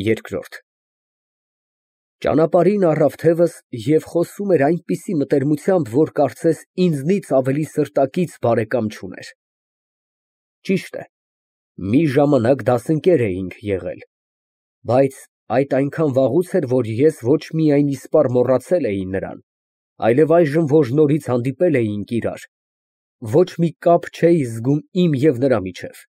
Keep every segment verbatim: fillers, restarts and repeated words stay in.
Երկրորդ Ճանապարհին առավ թևս և խոսում էր այնպիսի մտերմությամբ, որ կարծես ինձնից ավելի սրտակից բարեկամ չուներ։ Ճիշտ է, մի ժամանակ դասընկեր էինք եղել, բայց այդ այնքան վաղուց էր, որ ես ոչ միայն իսպառ մոռացել էի նրան, այլև այժմ, որ նորից հանդիպել էինք իրար, ոչ մի կապ չէի զգում իմ և նրա միջև։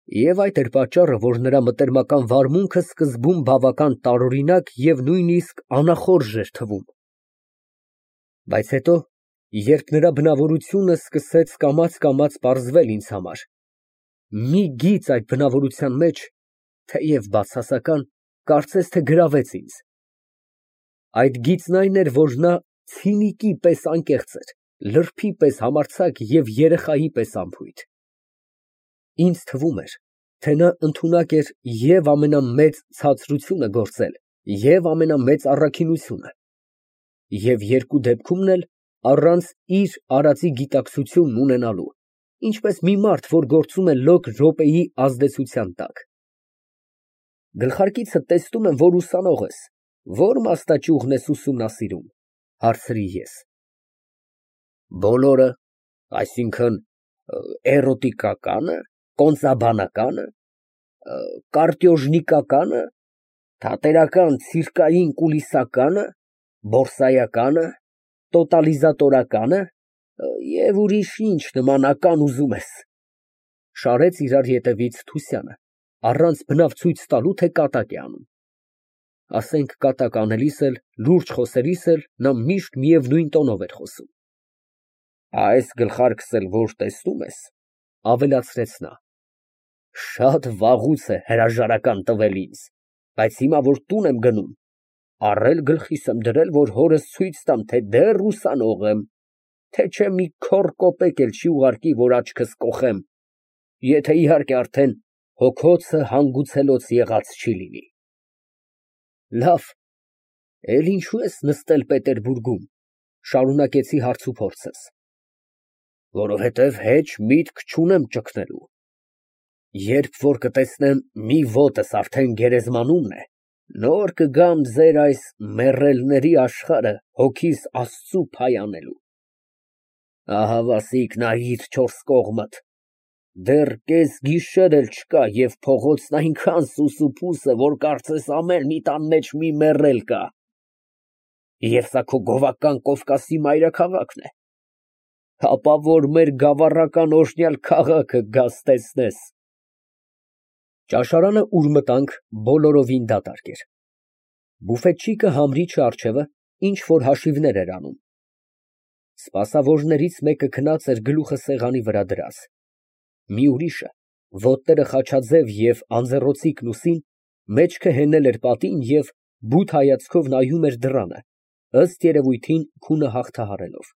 Եվ այդ էր պատճառը, որ նրա մտերմական վարմունքը սկզբում բավական տարօրինակ և նույնիսկ անախորժ էր թվում։ Բայց հետո, երբ նրա բնավորությունը սկսեց կամաց֊կամաց պարզվել ինձ համար, մի գիծ այդ բնավորության մեջ, թեև բացասական, կարծես թե գրավեց ինձ։ Այդ գիծն այն էր, որ նա ցինիկի պես անկեղծ էր, լրբի պես համարձակ և երեխայի պես անփույթ։ Ինձ թվում էր, թե նա ընդունակ էր և ամենամեծ ցածրությունը գործել, և ամենամեծ առաքինությունը, և երկու դեպքում էլ առանց իր արածի գիտակցությունն ունենալու, ինչպես մի մարդ, որ գործում է լոկ րոպեի ազդեցության տակ։ Գլխարկիցդ տեսնում եմ, որ ուսանող ես, ո՞ր մասնաճյուղն ես ուսումնասիրում, հարցրի ես։ Բոլորը, այսինքն՝ էրոտիկակա՞նը, կոնծաբանակա՞նը, կարտեոժնիկակա՞նը, թատերական ցիրկային կուլիսակա՞նը, բորսայակա՞նը, տոտալիզատորակա՞նը և ուրիշ ինչ նմանական ուզում ես։ Շարեց իրար ետևից Թուսյանը, առանց բնավ ցույց տալու, թե կատակ է անում։ Ասենք կատակ անելիս էլ, լուրջ խոսելիս էլ նա միշտ միևնույն տոնով էր խոսում։ Այս գլխարկս էլ որ տեսնում ես, ավելացրեց նա, շատ վաղուց է հրաժարական տվել ինձ, բայց հիմա, որ տուն եմ գնում, առել գլխիս եմ դրել, որ հորս ցույց տամ, թե դեռ ուսանող եմ, թե չէ մի քոռ կոպեկ էլ չի ուղարկի, որ աչքս կոխեմ, եթե, իհարկե, արդեն հոգոցը հանգուցելոց եղած չի լինի։ Լավ, էլ ինչո՞ւ ես նստել Պետերբուրգում, շարունակեցի հարցուփորձս։ Որովհետև հեչ միտք չունեմ ճգնելու։ Երբ որ կտեսնեմ մի ոտս արդեն գերեզմանումն է, նոր կգամ ձեր այս մեռելների աշխարհը հոգիս Աստծու փայանելու։ Ահավասիկ նայիր չորս կողմդ, դեռ կեսգիշեր էլ չկա և փողոցն այնքան սուսուփուս է, որ կարծես ամեն մի տան մեջ մի մեռել կա։ Եվ սա քո գովական Կովկասի մայրաքաղաքն է։ Հապա որ մեր գավառական օրհնյալ քաղաքը գաս տեսնես։ Ճաշարանը, ուր մտանք, բոլորովին դատարկ էր։ Բուֆետչիկը համրիչը առջևը ինչ֊որ հաշիվներ էր անում։ Սպասավորներից մեկը քնած էր գլուխը սեղանի վրա դրած։ Մի ուրիշը, ոտները խաչաձև և անձեռոցիկն ուսին, մեջքը հենել էր պատին և բութ հայացքով նայում էր դռանը, ըստ երևույթին քունը հաղթահարելով։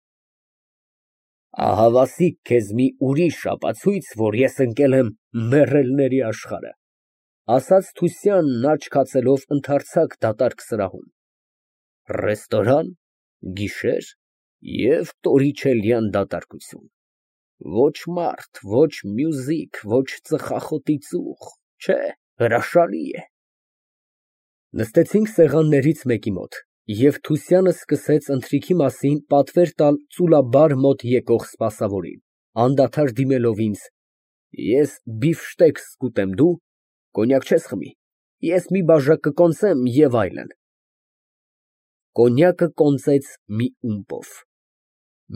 Ահավասիկ քեզ մի ուրիշ ապացույց, որ ես ընկել եմ մեռելների աշխարհը, ասաց Թուսյանն աչք հացելով ընդարձակ դատարկ սրահում։ Ռեստորան, գիշեր և տորիչելյան դատարկություն։ Ոչ մարդ, ոչ մյուզիք, ոչ ծխախոտի ծուխ, չէ, հրաշալի է։ Նստեցինք սեղաններից մեկի մոտ, և Թուսյանը սկսեց ընթրիքի մասին պատվեր տալ ծուլաբար մոտ եկող սպասավորին, անդադար դիմելով ինձ. Ես բիֆշտեքս կուտեմ, դու կոնյակ չես խմի, ես մի բաժակ կկոնծեմ և այլն։ Կոնյակը կոնծեց մի ումպով։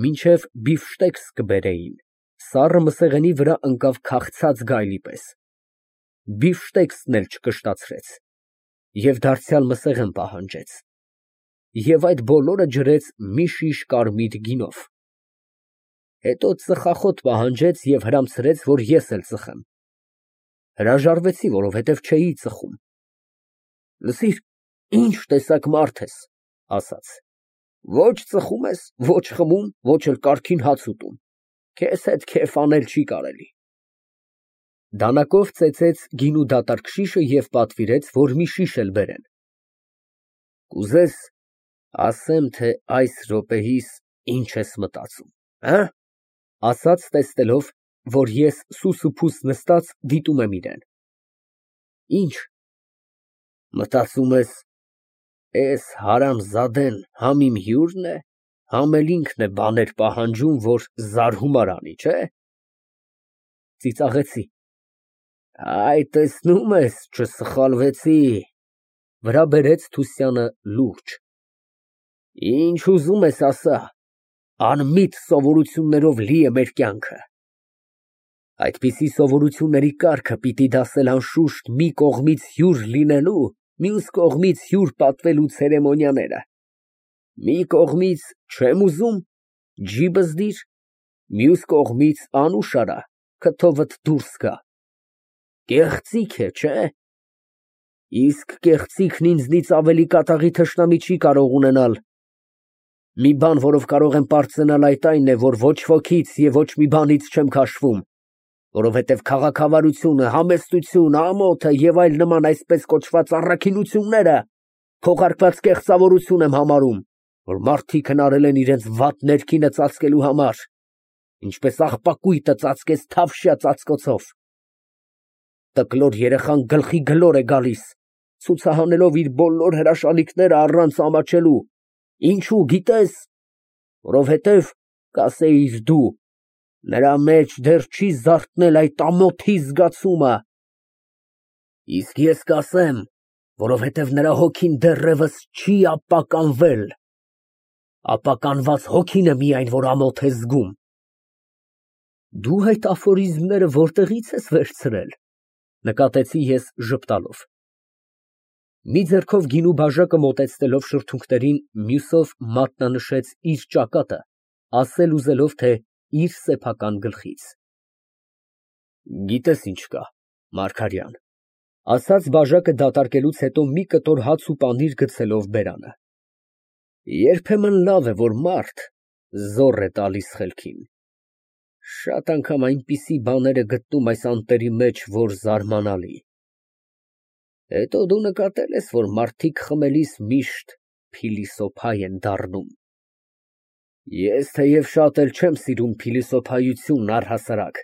Մինչև բիֆշտեքս կբերեին, սառը մսեղենի վրա ընկավ քաղցած գայլի պես։ Բիֆշտեքսն էլ չկշտացրեց և դարձյալ մսեղեն պահանջեց։ Եվ այդ բոլորը ջրեց մի շիշ կարմիր գինով։ Հետո ծխախոտ պահանջեց և հրամցրեց, որ ես էլ ծխեմ։ Հրաժարվեցի, որովհետև չէի ծխում։ Լսիր, ինչ տեսակ մարդ ես, ասաց, ոչ ծխում ես, ոչ խմում, ոչ էլ կարգին հաց ուտում, քեզ հետ քեֆ անել չի կարելի։ Դանակով ծեծեց գինու դատարկ շիշը և պատվիրեց, որ մի շիշ էլ բերեն։ Կուզես ասեմ, թե այս րոպեիս ինչ ես մտածում, հը՞, ասաց տեսնելով, որ ես սուսուփուս նստած դիտում եմ իրան։ Ինչ։ Մտածում ես, էս հարամզադեն համ իմ հյուրն է, համ էլ ինքն է բաներ պահանջում, որ զարհումար անի, չէ՞։ Ծիծաղեցի։ Այ, տեսնում ես, չսխալվեցի, վրա բերեց Թուսյանը լուրջ։ Ինչ ուզում ես ասա, անմիտ սովորություններով լի է մեր կյանքը։ Այդպիսի սովորությունների կարգը պիտի դասել անշուշտ մի կողմից հյուր լինելու, մյուս կողմից հյուր պատվելու ցերեմոնիաները։ Մի կողմից չեմ ուզում, ջիբս դիր, մյուս կողմից անուշ արա, քթովդ դուրս գա։ Կեղծիք է, չէ՞։ Իսկ կեղծիքն ինձնից ավելի կատաղի թշնամի չի կարող ունենալ։ Մի բան, որով կարող եմ պարծենալ, այդ այն է, որ ոչ ոքից և ոչ մի բանից չեմ քաշվում, որովհետև քաղաքավարությունը, համեստությունը, ամոթը և այլ նման այսպես կոչված առաքինությունները քողարկված կեղծավորություն եմ համարում, որ մարդիկ հնարել են իրենց վատ ներքինը ծածկելու համար, ինչպես աղբակույտը ծածկեց թավշյա ծածկոցով։ Տկլոր երեխան գլխի գլոր է գալիս, ցուցահանելով իր բոլոր հրաշալիքները առանց ամաչելու, ինչու գիտես, որովհետև, կասեիր դու, նրա մեջ դեռ չի զարթնել այդ ամոթի զգացումը, իսկ ես կասեմ, որովհետև նրա հոգին դեռևս չի ապականվել, ապականված հոգին է միայն, որ ամոթ է զգում։ Դու այդ աֆորիզմները որտեղի՞ց ես վերցրել, նկատեցի ես ժպտալով։ Մի ձեռքով գինու բաժակը մոտեցնելով շրթունքներին, մյուսով մատնանշեց իր ճակատը, ասել ուզելով, թե իր սեփական գլխից։ Գիտես ինչ կա, Մարգարյան, ասաց բաժակը դատարկելուց հետո մի կտոր հաց ու պանիր գցելով բերանը։ Երբեմն լավ է, որ մարդ զոռ է տալիս խելքին։ Շատ անգամ այնպիսի բաներ է գտնում այս անտերի մեջ, որ զարմանալի։ Հետո դու նկատել ես, որ մարդիկ խմելիս միշտ փիլիսոփա են դառնում։ Ես թեև շատ էլ չեմ սիրում փիլիսոփայությունն առհասարակ,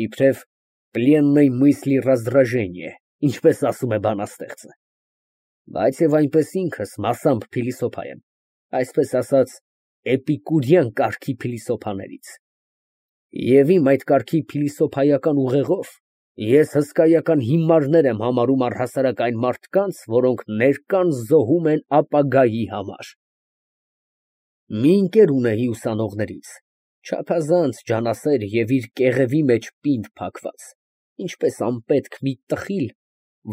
իբրև պլեննոյ мысли раздражение, ինչպես ասում է բանաստեղծը, բայց և այնպես ինքս մասամբ փիլիսոփա եմ, այսպես ասած, էպիկուրյան կարգի փիլիսոփաներից։ Եվ իմ այդ կարգի փիլիսոփայական ուղեղով ես հսկայական հիմարներ եմ համարում առհասարակ այն մարդկանց, որոնք ներկան զոհում են ապագայի համար։ Մի ընկեր ունեի ուսանողներից, չափազանց ջանասեր և իր կեղևի մեջ պինդ փակված, ինչպես անպետք մի տխիլ,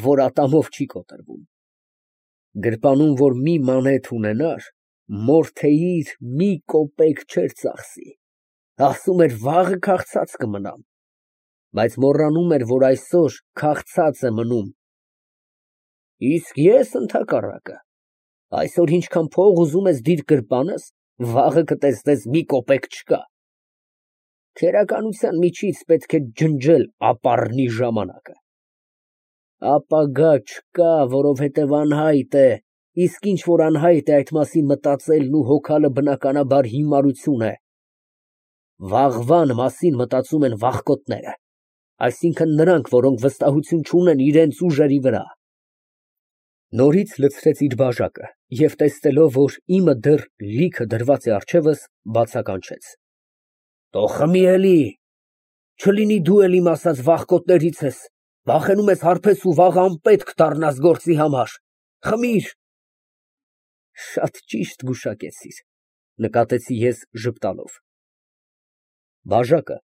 որ ատամով չի կոտրվում։ Գրպանում, որ մի մանեթ ունենար, մորթեիր մի կոպեկ չէր ծախսի, ասում էր վաղը քաղցած կմնամ, բայց մոռանում էր, որ այսօր քաղցած է մնում։ Իսկ ես ընդհակառակը, այսօր ինչքան փող ուզում ես դիր գրպանս, վաղը կտեսնես մի կոպեկ չկա։ Քերականության միջից պետք է ջնջել ապառնի ժամանակը։ Ապագա չկա, որովհետև անհայտ է, իսկ ինչ որ անհայտ է, այդ մասին մտածելն ու հոգալը բնականաբար հիմարություն է։ Վաղվան մասին մտածում են վախկոտները, այսինքն նրանք, որոնք վստահություն չունեն իրենց ուժերի վրա։ Նորից լցրեց իր բաժակը և տեսնելով, որ իմը դեռ լիքը դրված է առջևս, բացականչեց. Թող խմի էլի, չլինի դու էլ իմ ասած վախկոտներից ես, վախենում ես հարբես ու վաղը անպետք դառնաս գործի համար, խմիր։ Շատ ճիշտ գուշակեցիր, նկատեցի ես ժպտալով։ Բաժակը,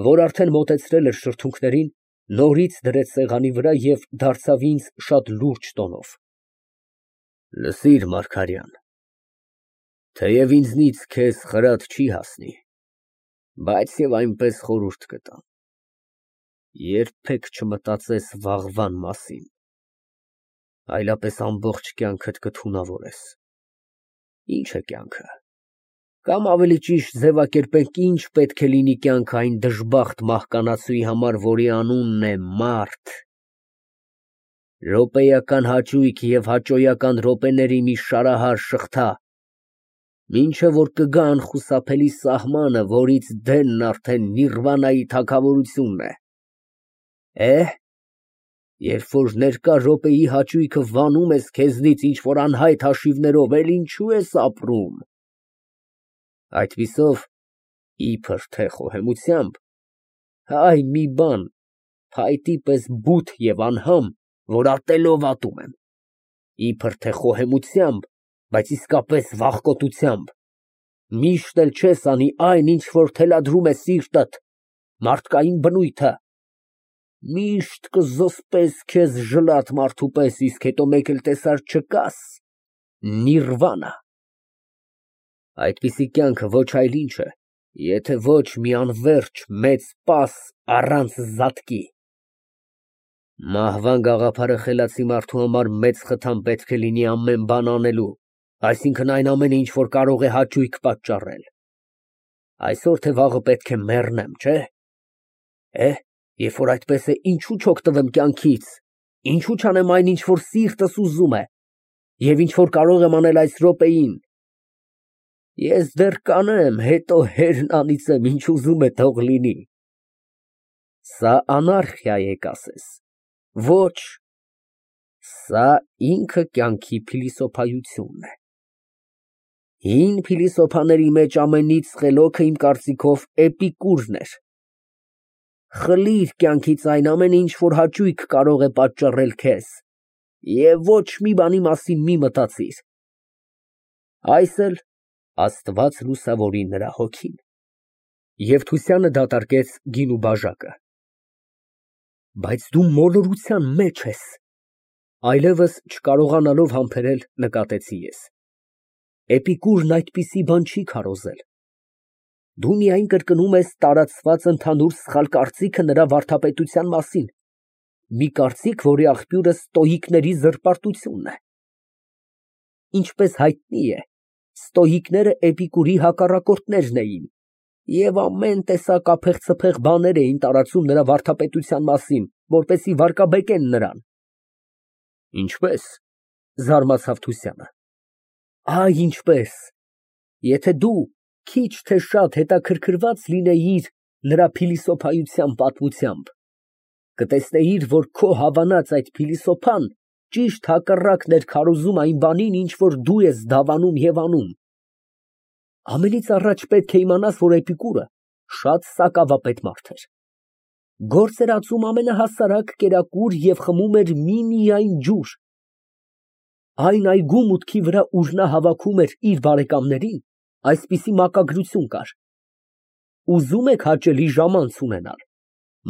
որ արդեն մոտեցրել էր շրթունքներին, նորից դրեց սեղանի վրա և դարձավ ինձ շատ լուրջ տոնով. Լսիր, Մարգարյան, թեև ինձնից քեզ խրատ չի հասնի, բայց և այնպես խորհուրդ կտամ. երբեք չմտածես վաղվան մասին, այլապես ամբողջ կյանքդ կթունավորես։ Ինչ է կյանքը, կամ ավելի ճիշտ ձևակերպենք, ինչ պետք է լինի կյանքը այն դժբախտ մահկանացուի համար, որի անունն է մարդ։ Րոպեական հաճույք և հաճոյական րոպեների մի շարահար շղթա, մինչև որ կգա անխուսափելի սահմանը, որից դենն արդեն Նիրվանայի թագավորությունն է։ Է՞, Երբ որ ներկա րոպեի հաճույքը վանում ես քեզնից ինչ֊որ անհայտ հաշիվներով, էլ ինչու ես ապրում։ Այդպիսով, իբր թե խոհեմությամբ, հայ մի բան, փայտի պես բութ և անհամ, որ ատելով ատում եմ, իբր թե խոհեմությամբ, բայց իսկապես վախկոտությամբ, միշտ էլ չես անի այն, ինչ որ թելադրում է սիրտդ, մարդկային բնույթը, միշտ կզսպես քեզ ժլատ մարդու պես, իսկ հետո մեկ էլ տեսար չկաս, նիրվանա։ Այդպիսի կյանքը ոչ այլ ինչ է, եթե ոչ մի անվերջ մեծ պաս առանց զատկի։ Մահվան գաղափարը խելացի մարդու համար մեծ խթան պետք է լինի ամեն բան անելու, այսինքն այն ամենը, ինչ որ կարող է հաճույք պատճառել։ Այսօր թե վաղը պետք է մեռնեմ, չէ՞։ Է, երբ որ այդպես է, ինչու չօգտվեմ կյանքից, ինչու չանեմ այն, ինչ որ սիրտս ուզում է, և ինչ որ կարող եմ անել այս րոպեին։ Ես դեռ կանեմ, հետո հերն անիծեմ, ինչ ուզում է թող լինի։ Սա անարխիա է, կասես։ Ոչ, սա ինքը կյանքի փիլիսոփայությունն է։ Հին փիլիսոփաների մեջ ամենից խելոքը, իմ կարծիքով, Էպիկուրն էր։ Խլիր կյանքից այն ամենը, ինչ որ հաճույք կարող է պատճառել քեզ, և ոչ մի բանի մասին մի մտածիր։ Այս էլ Աստված լուսավորի նրա հոգին։ Եվ Թուսյանը դատարկեց գինու բաժակը։ Բայց դու մոլորության մեջ ես, այլևս չկարողանալով համբերել, նկատեցի ես։ Էպիկուրն այդպիսի բան չի քարոզել։ Դու միայն կրկնում ես տարածված ընդհանուր սխալ կարծիքը նրա վարդապետության մասին, մի կարծիք, որի աղբյուրը ստոիկների զրպարտությունն է։ Ինչպես հայտնի է, ստոիկները Էպիկուրի հակառակորդներն էին և ամեն տեսակ ափեղ֊ցփեղ բաներ էին տարածում նրա վարդապետության մասին, որպեսզի վարկաբեկեն նրան։ Ինչպե՞ս, զարմացավ Թուսյանը։ Այ ինչպես, եթե դու քիչ թե շատ հետաքրքրված լինեիր նրա փիլիսոփայության պատմությամբ, կտեսնեիր, որ քո հավանած այդ փիլիսոփան ճիշտ հակառակն էր քարոզում այն բանին, ինչ որ դու ես դավանում և անում։ Ամենից առաջ պետք է իմանաս, որ Էպիկուրը շատ սակավապետ մարդ էր։ Գործ էր ածում ամենահասարակ կերակուր և խմում էր միմիայն ջուր։ Այն այգու մուտքի վրա, ուր նա հավաքում էր իր բարեկամներին, այսպիսի մակագրություն կար. «Ուզում եք հաճելի ժամանց ունենալ,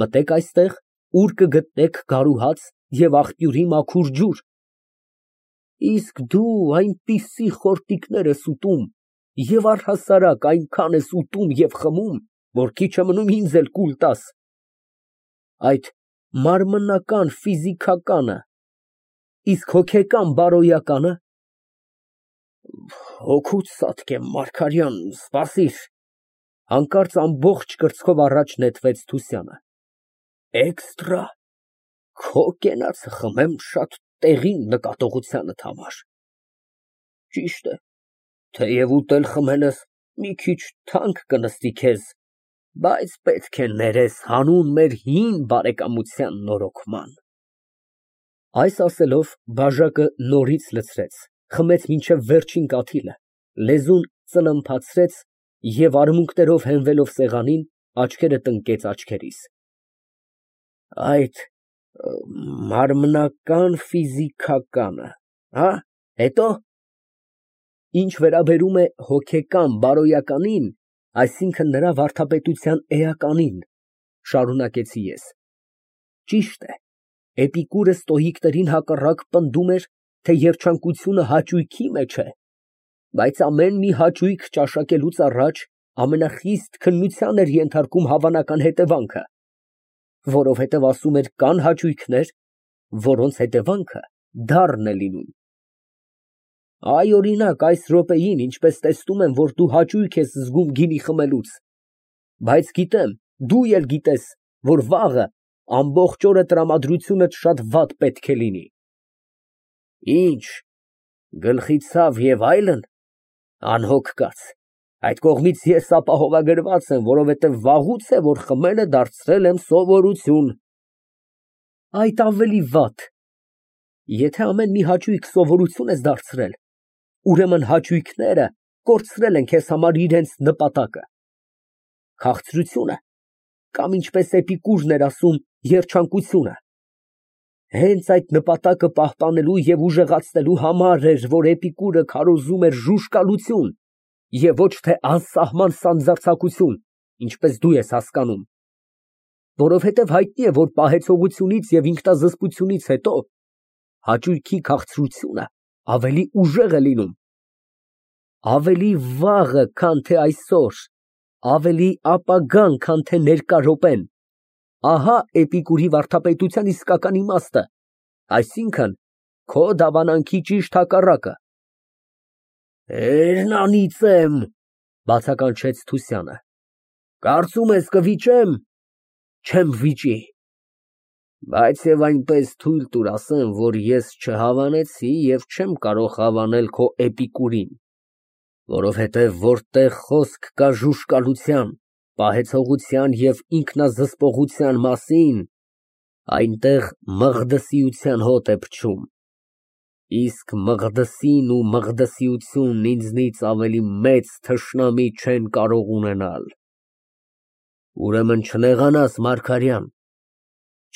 մտեք այստեղ, ուր կգտնեք գարու հաց և աղբյուրի մաքուր ջուր։ Իսկ դու այնպիսի խորտիկներ ես ուտում և առհասարակ այնքան ես ուտում և խմում, որ քիչ է մնում ինձ էլ կուլ տաս։ Այդ մարմնական, ֆիզիկականը, իսկ հոգեկան, բարոյակա՞նը»։ Հոգուց ծածկեմ, Մարգարյան, սպասիր, հանկարծ ամբողջ կրծքով առաջ նետվեց Թուսյանը։ Էկստրա, քո կենացը խմեմ շատ տեղին նկատողությանդ համար։ Ճիշտ է, թեև ուտել խմելս մի քիչ թանկ կնստի քեզ, բայց պետք է ներես հանուն մեր հին բարեկամության նորոգման։ Այս ասելով, բաժակը նորից լցրեց, խմեց մինչև վերջին կաթիլը, լեզուն ծլմփացրեց և արմունկներով հենվելով սեղանին, աչքերը տնկեց աչքերիս։ Այդ մարմնական, ֆիզիկականը, հա՞, հետո։ Ինչ վերաբերում է հոգեկան, բարոյականին, այսինքն նրա վարդապետության էականին, շարունակեցի ես, ճիշտ է, Էպիկուրը ստոիկներին հակառակ պնդում էր, թե երջանկությունը հաճույքի մեջ է, բայց ամեն մի հաճույք ճաշակելուց առաջ ամենախիստ քննության էր ենթարկում հավանական հետևանքը, որովհետև, ասում էր, կան հաճույքներ, որոնց հետևանքը դառն է լինում։ Այ, օրինակ, այս րոպեին, ինչպես տեսնում եմ, որ դու հաճույք ես զգում գինի խմելուց, բայց գիտեմ, դու էլ գիտես, որ վաղը ամբողջ օրը տրամադրությունդ շատ վատ պետք է լինի։ Ինչ, գլխի ցավ և այլն, անհոգ կաց, այդ կողմից ես ապահովագրված եմ, որովհետև վաղուց է, որ խմելը դարձրել եմ սովորություն։ այդ ավելի վատ։ Եթե ամեն մի հաճույք սովորություն ես դարձրել, ուրեմն հաճույքները կորցրել են քեզ համար իրենց նպատակը։ Քաղցրությունը, կամ ինչպես Էպիկուրն էր ասում, երջանկությունը, հենց այդ նպատակը պահպանելու և ուժեղացնելու համար էր, որ Էպիկուրը քարոզում էր ժուժկալություն և ոչ թե անսահման սանձարձակություն, ինչպես դու ես հասկանում, որովհետև հայտնի է, որ պահեցողությունից և ինքնազսպությունից հետո հաճույքի քաղցրությունը ավելի ուժեղ է լինում, ավելի վաղը, քան թե այսօր, ավելի ապագան, քան թե ներկա րոպեն, ահա Էպիկուրի վարդապետության իսկական իմաստը, այսինքն՝ քո դավանանքի ճիշտ հակառակը։ «Տերն անիծեմ», բացականչեց Թուսյանը, «կարծում ես կվիճեմ, չեմ վիճի, բայց և այնպես թույլ տուր ասեմ, որ ես չհավանեցի և չեմ կարող հավանել քո Էպիկուրին, որովհետև որտեղ խոսք կա ժուժկալության, պահեցողության և ինքնազսպողության մասին, այնտեղ մղդսիության հոտ է փչում, իսկ Մղդսին ու մղդսիությունն ինձնից ավելի մեծ թշնամի չեն կարող ունենալ։ Ուրեմն չնեղանաս, Մարգարյան,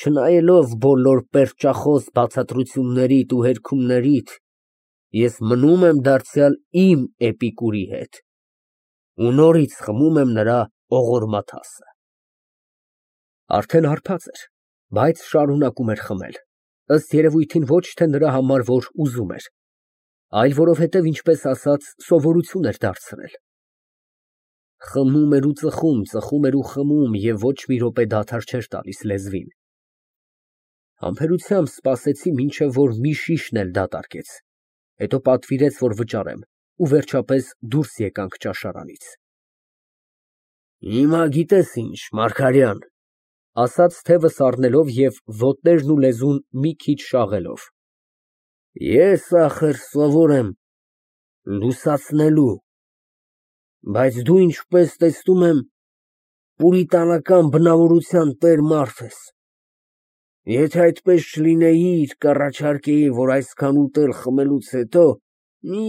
չնայելով բոլոր պերճախոս բացատրություններիդ ու հերքումներիդ, ես մնում եմ դարձյալ իմ Էպիկուրի հետ ու նորից խմում եմ նրա ողորմաթասը։ Արդեն հարբած էր, բայց շարունակում էր խմել, ըստ երևույթին ոչ թե նրա համար, որ ուզում էր, այլ որովհետև, ինչպես ասած, սովորություն էր դարձրել։ Խմում էր ու ծխում, ծխում էր ու խմում և ոչ մի րոպե դադար չէր տալիս լեզվին։ Համբերությամբ սպասեցի, մինչև որ մի շիշն էլ դատարկեց, հետո պատվիրեց, որ վճարեմ, ու վերջապես դուրս եկանք ճաշարանից։ Հիմա գիտես ինչ, Մարգարյան, ասաց թևս առնելով և ոտներն ու լեզուն մի քիչ շաղելով, ես սովոր եմ լուսացնելու, բայց դու, ինչպես տեսնում եմ, պուրիտանական բնավորության տեր մարդ ես, եթե այդպես չլինեիր, կառաջարկեի, որ այսքան ուտել խմելուց հետո մի,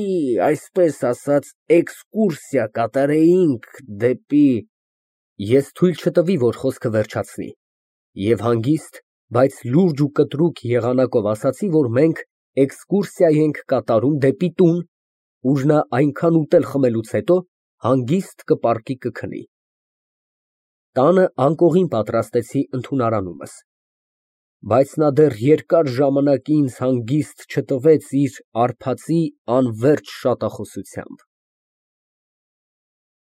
այսպես ասած, էքսկուրսիա կատարեինք դեպի… Ես թույլ չտվի, որ խոսքը վերջացնի և հանգիստ, բայց լուրջ ու կտրուկ եղանակով ասացի, որ մենք էքսկուրսիա ենք կատարում դեպի տուն, ուր նա այնքան ուտել խմելուց հետո հանգիստ կպառկի կքնի։ Տանը անկողին պատրաստեցի ընդունարանումս, բայց նա դեռ երկար ժամանակ ինձ հանգիստ չտվեց իր արբածի անվերջ շատախոսությամբ։